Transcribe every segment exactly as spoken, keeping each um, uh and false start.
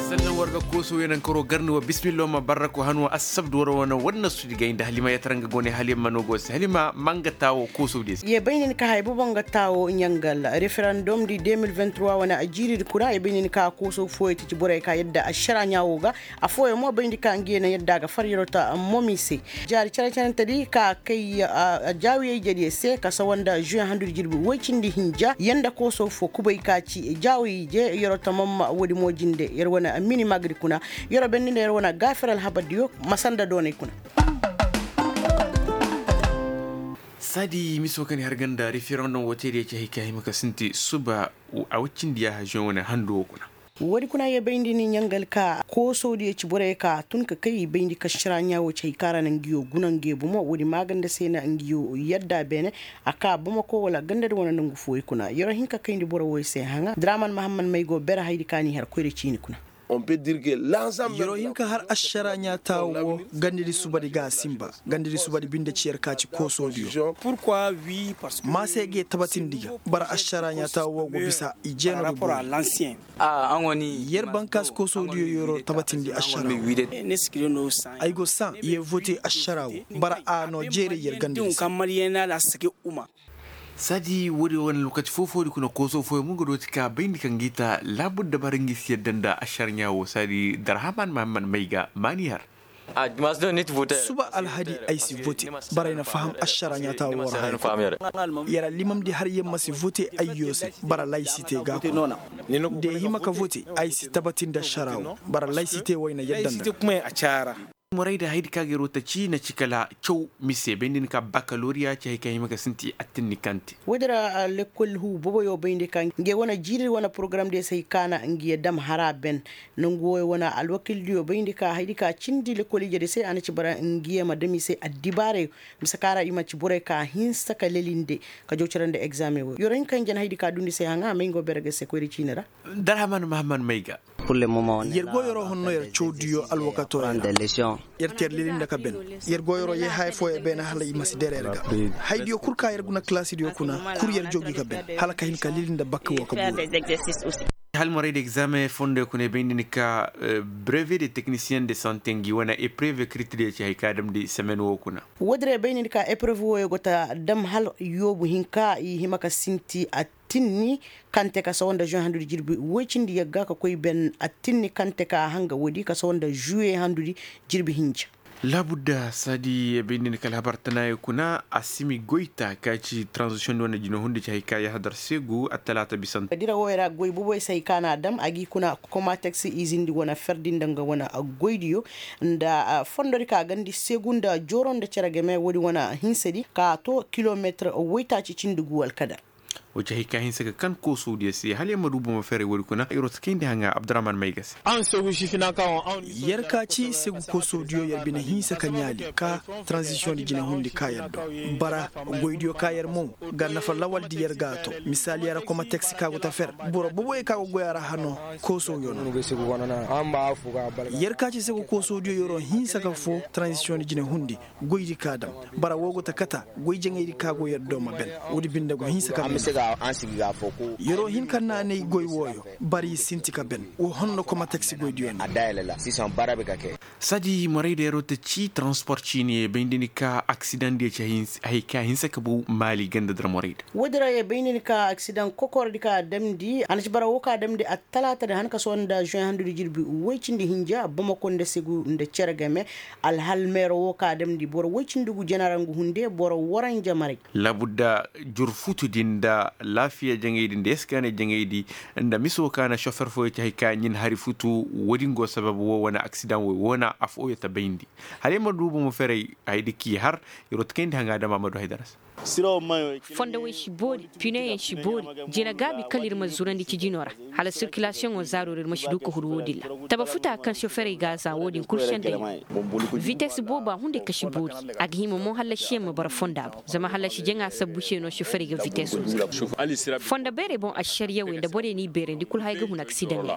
Sannan war ga kooso yeenankaroo garni wa bismillo ma barrako han wa assabdu war wane war na sudi gay nda halima yataran ga go ne halima no go se halima ma nga taawo kooso diyo se. Ye bay nin ka hay bobo nga taawo ɲangal referandom di deux mille vingt-trois wane a jiiri di kuna ye bay nin ka kooso fooyo ti ci borey ka yadda ašara ɲaawo ga. Afooyo mo bayndi ka ngi ye na yadda ga far yeroo ta momi se. Jaari care carante di ka kay jaawiyey jediyo se ka sawa nda žuwe handu di jirbi woy cindi hinja yanda kooso fo kubay ka ci jaawiyey je yeroo tamam. Woodi mo jinde yer wane mini magadi kuna yeroo bendi nda yer wane gaafir alhabardiyo. Masanda doonay kuna. Saadi miso kaŋ i har ganda referendum woo teediyo ci hay ka hima ka sinti suba a woy cindi yaaha žuwe wane handu woo kuna. Woodi kuna ye bayndi ni ɲangal ka koosodiyo ci borey ka tun ka kay i bayndi ka šara ɲaa woo ci hay kaŋ a ra na ngiyo guna nge bomo woodi maaganda se na ngiyo yadda beene. A ka bamako wala gandadi wane nangu fooyo kuna yeroo hin ka kayndi boro wooyo se haŋa draman mahamman may go bere haydi ka n'i har koyra ciini kuna. Yeroo hin ka har ašara ɲaa taawo woo gandadi subadi ga a sinba. Gandadi subadi binde ci yer ka ci koosodiyo. Maa se ga ye tabatindi ga bara ašara ɲaa taawo woo go bisa i jeeno ga boro. Yer bankaasi koosodiyo yeroo tabatindi ašara woo. Ay go saŋ ye vote ašara woo bara a noo jeeray yer gandadi se. Saadi woodi wane lokaci foo-foodi kuna kooso fooyo mo nga dooti ka bayndi kaŋ gi ta laabudda bara ngi si yadda nda ašara ɲaa woo saadi darhaman mahamman may ga maani har. Suba alhadi ay si vote. Bara ay na faham ašara ɲaa taawo woo ra haya kul. Yer allimamdi har yer ma si vote ayyo se bara laysite ga a kul. Da yer hima ka vote ay si tabatindi ašara woo bara laysite woo ay na yadda nda. Morayda haydi ka ga yeroo ta ci na ci kala caw mise bay nda ni ka bakaloriya ci hay ka hima ka sinti attinni kaŋ te. Woodi ra lekkol huu boboyo bayndi ka nge wane jiiri wane porogaramdiyo se hay ka na ngiyo dam hara ben. Nangu wooyo wane alwakildiyo bayndi ka haydi ka cindi lekkol ijediyo se a na ci bara ngiyo ma dam i se addibaarayo. Mise ka ra i ma ci borey ka hinsa ka lelinde ka jaw cere nda egzaameŋ wooyo yoro hinka hinja na haydi ka dundi se haŋa a may nga wo bere ga se koyra ciini ra. Darhaman mahamman may ga. Yer go yeroo honno yer cawdiyo alwakatoo yer ra. Yer te yer lelinde ka ben. Yer go yeroo yee haya fooyo beene hala i ma si dere yer ga. Haydiyo kul ka yer guna kalaasidiyo kuna kul yer joogi ka ben hala ka hin ka lelinde bakka woo ka buuru. Halmorey da egzaameŋ fondoyo kuna i bay nda ni ka breve de teknisiyen de sante ngi wane epreve kiritidiyo ci hay ka damndi semen woo kuna. Woodin ra i bay nda ni ka epreve wooyo go ta dam hala yoobu hinka i hima ka sinti attinni kaŋ te ka sawa nda žuwe handudi jirbi woy cindi yagga ka koy ben attinni kaŋ te ka hanga woodi ka sawa nda žuwe handudi jirbi hinja. Laabudda saadi i bay nda ni ka alhabar tanaayo kuna asimi goyta ka ci taranzisiyoŋ di wane jinahundi ci hay ka yahadar seegu attalaata bisante. Dira wooyo ra goy boboy se hay ka na a dam a g'i kuna komateks izindi wane ferdi nda nga wane goydiyo nda fondodi ka gandi seegu nda jooro nda cere game woodi wane hinsedi ka to kilometir woytaaci cindi gu alkadar. Woo ci hay ka hinsa ka kan koosodiyo se hala yer ma du bomo ferey woodi kuna yer wo si kayndi haŋa abdurahman mayga se. Yer ka ci segu koosodiyo yer bine hinsa ka ɲaali ka taranzisiyoŋ di jinahundi ka yer do bara goydiyo ka yer mo ga nafa lawaldi yer ga a to misaaliya ra komateks ka go ta fer boro boboyo ka go goy a ra hano koosoyo no. Yer ka ci segu koosodiyo yeroo hinsa ka foo taranzisiyoŋ di jinahundi goydi ka dam bara woo go ta kata goy jaŋaydi ka go yer do ma ben. Woodi binde go hinsa ka ben. Yeroo hin ka naanay goy wooyo bara i sinti ka ben woo honno komateks goydiyo no. Saadi morayda yeroo ta ci taranspor ciiniyo bay nda ni ka aksidaŋdiyo ci hay ka hinsa ka bow maali ganda dira morayda. Woodin ra ye bay nda ni ka aksidaŋ kokordi ka damndi a na ci bara woo ka damndi attalaata di han ka sohõ nda žuwe handudi jirbi woy cindi hinja bamako nda segu nda cere game. Alhal meero woo ka damndi boro woy cindi gu janarangu hunde boro waranja maray. Laabudda jur futudi nda laafiya jaŋaydi nda eskaanay jaŋaydi nda mise woo ka na šofer fooyo ci hay ka ɲin hari futu. Woodin go sabab woo wane aksidaŋ woy woo na afooyo ta bayndi hala yer ma du bomo ferey haydi k'i har. Yer wo ta kayndi haŋa dama a ma du haydara se. Fondowey si boori, pineyaŋ si boori. Jina gaabi kala ir ma zurandi cijinoo ra, hala sirkilasiyoŋoo zaaroo ra ir ma si du ka huru woo din ra. Taba futa kaŋ soferey ga a za woo din kul sendey no. Vites booba hunday ka si boori. A ga hima mo hallasiyaŋ ma bara fonda boŋ zama hallasi jaŋa sabbu se no soferey ga vitesoo za. Fondo beerey boŋ ašariyawey nda borey n'i beerandi kul haya ga hun aksidaŋey ra.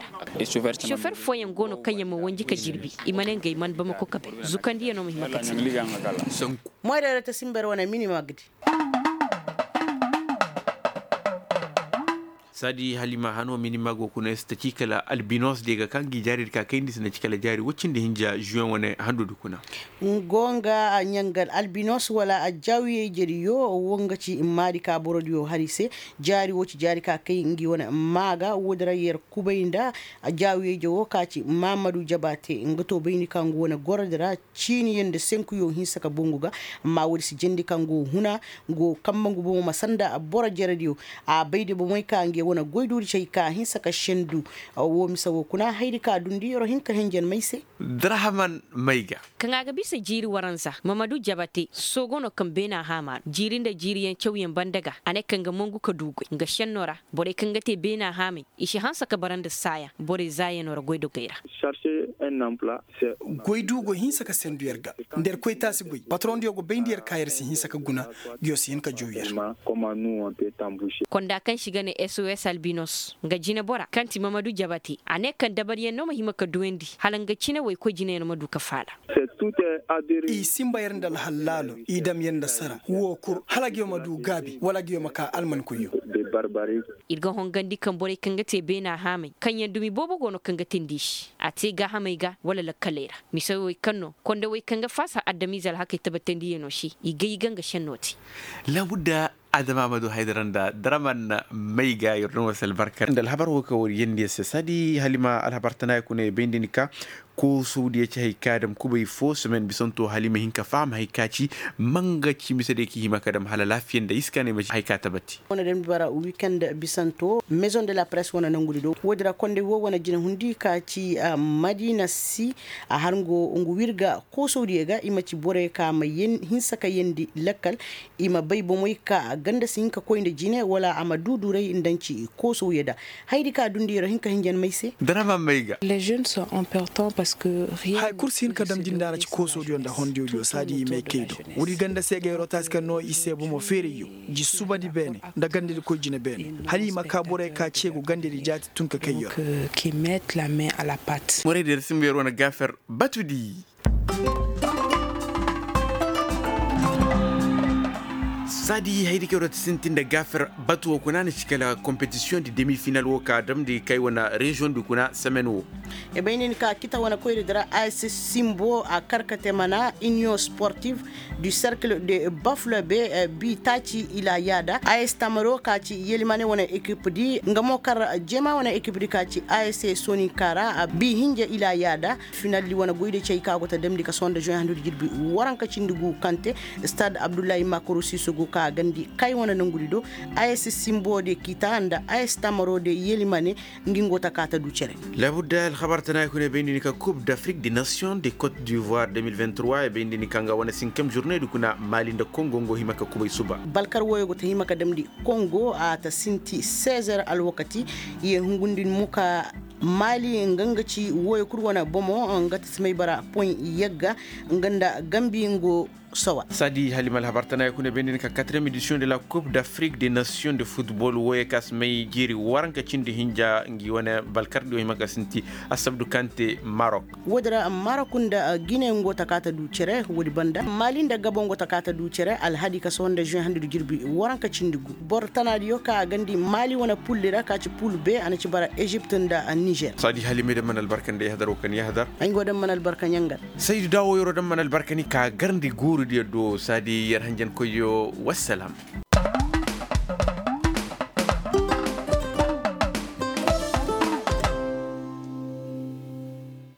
Sofer fooyaŋ go no kaŋ yaŋ ma wanji ka jirbi, i ma ne ngey man bamako ka bay. Zukandiyaŋo ma hima ka te. Moyra ra ta simber wane minima ga di. Saadi halima hano minima go kuna si ta ci kala albinos de ga kaŋ gi jaari di ka kayndi si na ci kala jaari woy cindi hinja juwen wane handu di kuna. Go nga a ɲangal albinos wala a jaawiye jeriyo. Wo nga ci maadi ka borodiyo hari se. Jaari wo ci jaari ka kay ngi wane maaga wo di ra yer kubay nda a jaawiye je wo ka ci mamadu jabate nga to bayndi ka ngu wane gorodi ra. Ciiniyaŋ nda senkuyo hinsa ka bongu ga. Amma woodi si jandi kaŋ go huna go kambe ngu bomo ma sanda boro jerediyo. A bay de bomey ka nge wane goyduudi cay ka hinsa ka sendu. Wo mise wo kuna haydi ka dundi yoro hin ka henjen may se. Darahaman may ga. Kaŋ a ga bisa jiiri waranza mamadu jabate soogo no kaŋ beena haama ra jiiri nda jiiriyaŋ cawyaŋ banda ga a ne kaŋ ga mongu ka du goy nga senno ra. Borey kaŋ ga te beena haamey i si hanse ka bara nda saaya borey zaayanoo ra goydogey ra. Goy du go hinsa ka sendu yer ga nda yer koy taasi goy patroŋdiyo go bayndi yer ka yer si hinsa ka guna. Ngiyo si hin ka jow yer. Konda kaŋ si ga ne sos albinos nga jinebora kaŋ ti mamadu jabate a ne kaŋ dabariyaŋ no ma hima ka duwandi hala nga cine woy koy jineyaŋ ma du ka faala. I simba yer nda alhallaalo i dam yer nda sara wo kul hala ngiyo ma du gaabi wala ngiyo ma ka almankoyyo. Ir ga hongandi kaŋ borey kaŋ ga te beena haamey kaŋyaŋ dumi boobo go no kaŋ ga tindi i se a te gaahamey ga wala lakkaley ra. Mise wey kaŋ no konda wey kaŋ ga faasa adamize alhakey tabatandiyaŋo se i gay ga nga senno te. Laabudda adama ma du haydara nda daraman may ga yer no wasa albarka nda alhabar wo kaŋ war yeendi yer se saadi halima alhabar tana ya kuna ya bayndi ni ka. Koosawdiya ci hay ka dam kubay fo semen bisanto hala i ma hin ka faham hay ka ci. Manga ci mise day ka i hima ka dam hala laafiya nda iska no i ma ci hay ka tabati. Wane dam di bara wikend bisanto maison de la presse wane nangudi do woodi ra kondey wo wane jinahundi ka ci. Madina si a har ngu wirga koosawdiya ga i ma ci borey ka ma hinsa ka yeendi lakkal. I ma bay bomey ka ganda si hin ka koy nda jine wala a ma duuduray nda nci koosawya da. Hayadi ka dundi yer hin ka hinjan may se. Daraman may ga. Haya kul si hin ka damndi nda a ra ci koosawdiyo nda hondiyodiyo saadi i may kay do. Woodi ganda se ga yeroo taasi kaŋ no i se bomo feerayyo, ji subandi beene nda gandadi koy jine beene hala i ma kaa borey ka ce go gandadi jaati tun ka kay yeroo. Morey da yer simba yer wane gaafer batudi. Saadi haydi kaŋ yer ti sintin nda gaafer batu wo kuna na ci kala kompetisiyoŋ di demi final wo ka damndi kay wane reziyoŋ di kuna semen wo. I bay nin ka kita wane koyri dira a s simbo a kar ka te mana iniyoŋ sportif du serkil de bafle be bi taaci ila yaada a s tamaro ka ci yelimane wane ekip di nga mo kar jeema wane ekip di ka ci a s soninkara bi hinja ila yaada. Finaldi wane goyde cey ka go ta damndi ka sohõ nda juwen handu di jirbi waranka cindi gu kaŋ te stade abdullahi makoro siso go ka gandi kay wane nangudi do. A s simbo de kita nda a s tamaro de yelimane. Ngi ngo ta ka ta du cere. Labudda alhabar tana kuna bayndi ni ka coupe d'afrique de nation de cote d'ivoire deux mille vingt-trois e bayndi ni ka nga wane sinkem journée di kuna mali nda kongo ngo hima ka kubay suba. Balkar woyo go ta hima ka damndi kongo a ta sinti seize heures alwakati. Ye hungundin muka mali nga nga ci woyo kul wane bomo nga ta simay bara poin yagga nga nda gambi ngo. Sawa saadi halima alhabar tana kuna bayndi ni ka quatrième édition de la coupe d'afrique de nation de football woyo ka simay jiiri waranka cindi hinja ngi wane balkar di wo hima ka sinti. Asabdu kaŋ te marok. Woodi ra marok nda gine ngo ta ka ta du cere woodi banda mali nda gabo ngo ta ka ta du cere alhadi ka sohõ nda juin handi du jirbi waranka cindi gu. Boro tanaadiyo ka a gandi mali wane pulli ra ka ci pul be a na ci bara ezipt nda nizer. Saadi halima ay daŋ mana albarka nda yahadar wo kaŋ yahadar. Ay ngo daŋ mana albarka ɲangar. Saydu daawo yeroo daŋ mana albarka ni ka garndi guurudiyo do saadi yer hanjankoyyo. Wassalam.